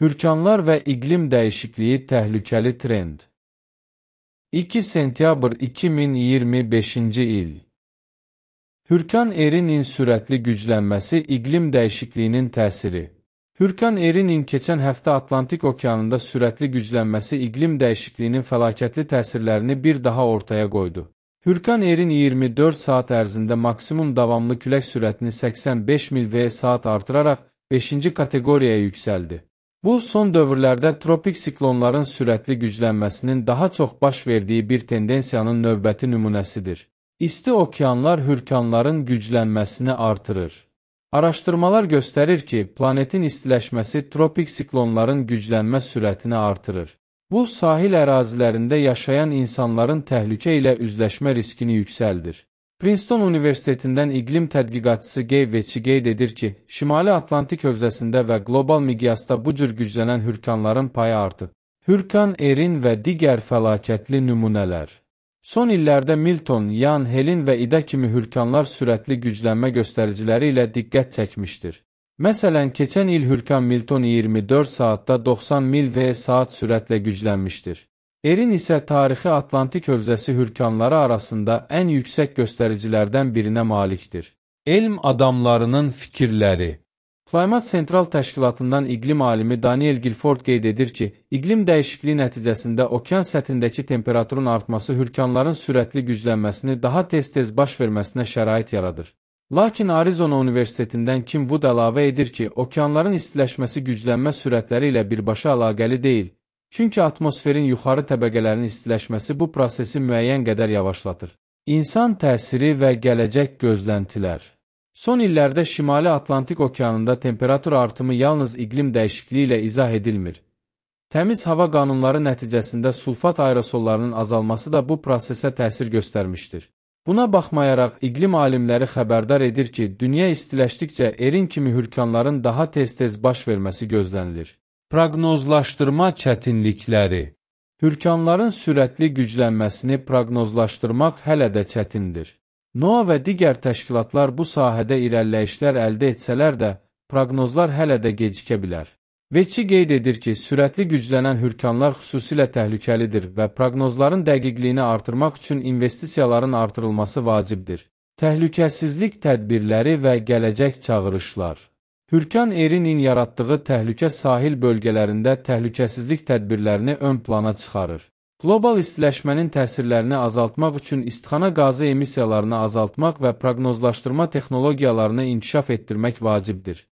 Hürkanlar və iqlim dəyişikliyi təhlükəli trend. 2 sentyabr 2025-ci il. Hürkan Erin'in sürətli güclənməsi iqlim dəyişikliyinin təsiri. Hürkan Erin'in keçən həftə Atlantik okeanında sürətli güclənməsi iqlim dəyişikliyinin fəlakətli təsirlərini bir daha ortaya qoydu. Hürkan Erin 24 saat ərzində maksimum davamlı külək sürətini 85 mil v/saat artıraraq 5-ci kateqoriyaya yüksəldi. Bu, son dövrlərdə tropik siklonların sürətli güclənməsinin daha çox baş verdiyi bir tendensiyanın növbəti nümunəsidir. İsti okeanlar hürkanların güclənməsini artırır. Araşdırmalar göstərir ki, planetin istiləşməsi tropik siklonların güclənmə sürətini artırır. Bu, sahil ərazilərində yaşayan insanların təhlükə ilə üzləşmə riskini yüksəldir. Princeton Universitetindən iqlim tədqiqatçısı Gay Veçi qeyd edir ki, Şimali Atlantik hövzəsində və qlobal miqyasda bu cür güclənən hürkanların payı artıb. Hürkan Erin və digər fəlakətli nümunələr. Son illərdə Milton, Yan, Helin və İda kimi hürkanlar sürətli güclənmə göstəriciləri ilə diqqət çəkmişdir. Məsələn, keçən il hürkan Milton 24 saatda 90 mil v/saat sürətlə güclənmişdir. Erin isə tarixi Atlantik hövzəsi hürkanları arasında ən yüksək göstəricilərdən birinə malikdir. Elm adamlarının fikirləri. Climate Central təşkilatından iqlim alimi Daniel Guilford qeyd edir ki, iqlim dəyişikliyi nəticəsində okean səthindəki temperaturun artması hürkanların sürətli güclənməsini daha tez-tez baş verməsinə şərait yaradır. Lakin Arizona Universitetindən Kim Wood əlavə edir ki, okeanların istiləşməsi güclənmə sürətləri ilə birbaşa əlaqəli deyil. Çünki atmosferin yuxarı təbəqələrinin istiləşməsi bu prosesi müəyyən qədər yavaşlatır. İnsan təsiri və gələcək gözləntilər. Son illərdə Şimali Atlantik okeanında temperatur artımı yalnız iqlim dəyişikliyi ilə izah edilmir. Təmiz hava qanunları nəticəsində sulfat aerosollarının azalması da bu prosesə təsir göstərmişdir. Buna baxmayaraq, iqlim alimləri xəbərdar edir ki, dünya istiləşdikcə Erin kimi hürkanların daha tez-tez baş verməsi gözlənilir. Proqnozlaşdırma çətinlikləri. Hürkanların sürətli güclənməsini proqnozlaşdırmaq hələ də çətindir. NOAA və digər təşkilatlar bu sahədə irəliləyişlər əldə etsələr də, proqnozlar hələ də gecikə bilər. Veçi qeyd edir ki, sürətli güclənən hürkanlar xüsusilə təhlükəlidir və proqnozların dəqiqliyini artırmaq üçün investisiyaların artırılması vacibdir. Təhlükəsizlik tədbirləri və gələcək çağırışlar. Hürkan Erin'in yaratdığı təhlükə sahil bölgələrində təhlükəsizlik tədbirlərini ön plana çıxarır. Qlobal istiləşmənin təsirlərini azaltmaq üçün istixana qazı emissiyalarını azaltmaq və proqnozlaşdırma texnologiyalarını inkişaf etdirmək vacibdir.